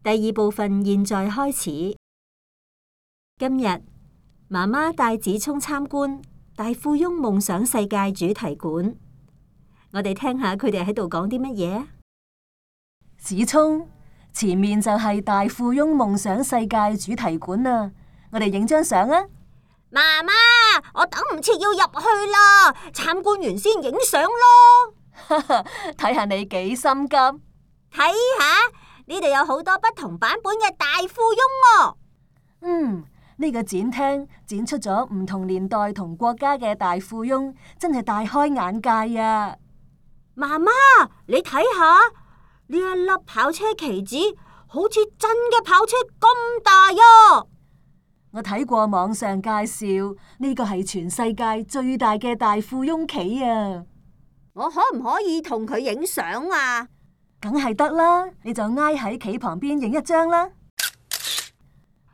第二部分現在開始。今日媽媽帶子聰參觀大富翁夢想世界主題館，我哋聽下佢哋喺度講啲乜嘢。子聰，前面就係大富翁夢想世界主題館啊！我哋影張相啊！媽媽，我等唔切要入去啦，參觀完先影相咯。睇下你幾心急。睇下呢度有好多不同版本嘅大富翁喎。呢個展廳展出咗唔同年代同國家嘅大富翁，真係大開眼界啊！媽媽，你睇下呢一粒跑車旗子，好似真嘅跑車咁大呀！我睇過網上介紹，呢個係全世界最大嘅大富翁旗啊！我可唔可以同佢影相啊？梗係得啦，你就挨喺旗旁邊影一張啦。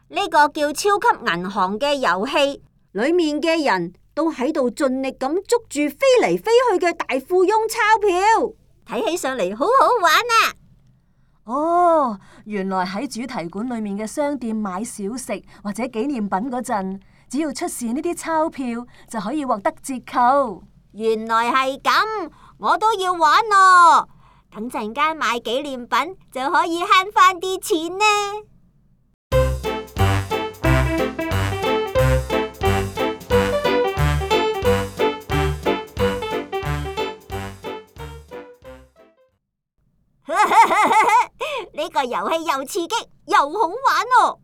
呢個叫超級銀行嘅遊戲，裏面嘅人都喺度盡力咁捉住飛嚟飛去嘅大富翁鈔票，睇起上嚟好好玩啊！哦，原來喺主題館裏面嘅商店買小食或者紀念品嗰陣，只要出示呢啲鈔票就可以獲得折扣。原來係咁，我都要玩咯。等陣間買紀念品就可以慳翻啲錢呢。呢個遊戲又刺激又好玩哦！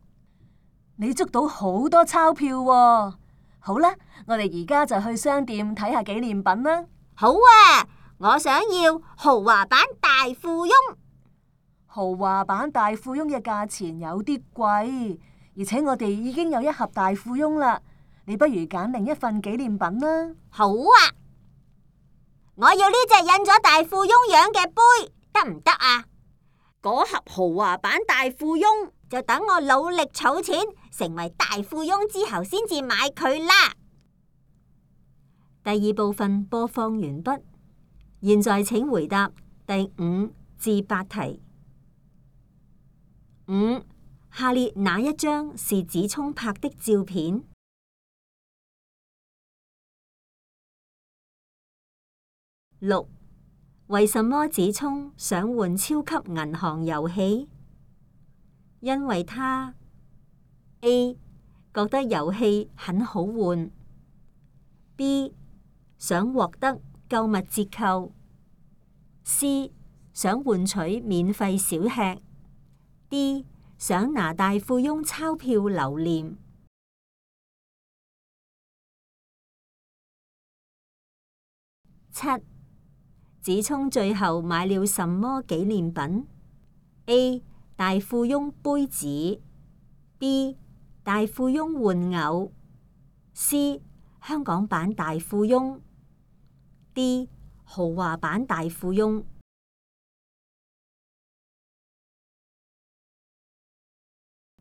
你捉到好多鈔票喎。好啦，我哋而家就去商店睇下紀念品啦。好啊，我想要豪華版大富翁。豪華版大富翁嘅價錢有啲貴，而且我哋已經有一盒大富翁啦。你不如揀另一份紀念品啦。好啊，我要呢隻印咗大富翁樣嘅杯，得唔得啊？嗰盒豪華版大富翁就等我努力儲錢，成為大富翁之後先至買佢啦。第二部分播放完畢，現在請回答第5至8題。5. 下列哪一張是子聰拍的照片？6. 為什麼子聰想換超級銀行遊戲？因為他 A 覺得遊戲很好玩， B 想獲得購物折扣， C 想換取免費小吃， D 想拿大富翁鈔票留念。7. 子聰最後買了什麼紀念品？ A. 大富翁杯子， B. 大富翁玩偶， C. 香港版大富翁， D. 豪華版大富翁。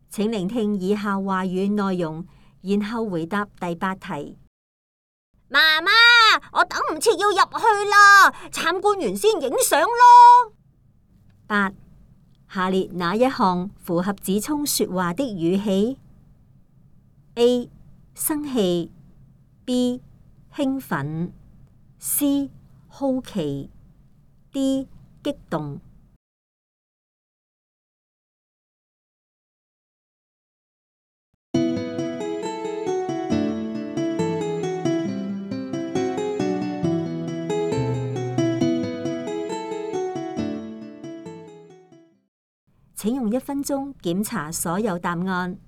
請聆聽以下話語內容，然後回答第8題。媽媽，我等唔切要入去啦，參觀完先影相咯。8. 下列哪一項符合子聰說話的語氣？ A. 生氣， B. 興奮， C. 好奇， D. 激動。請用1分鐘檢查所有答案。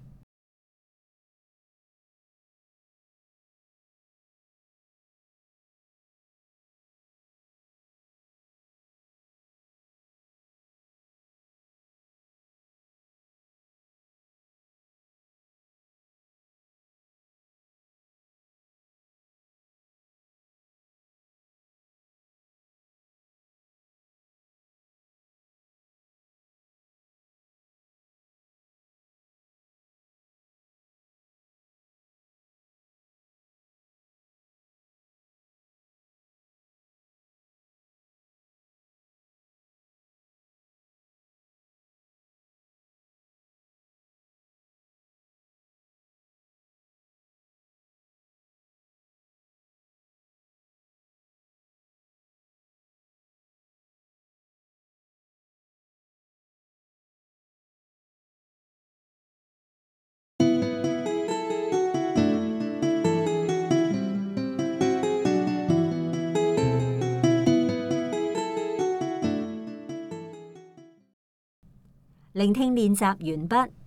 聆聽練習完畢。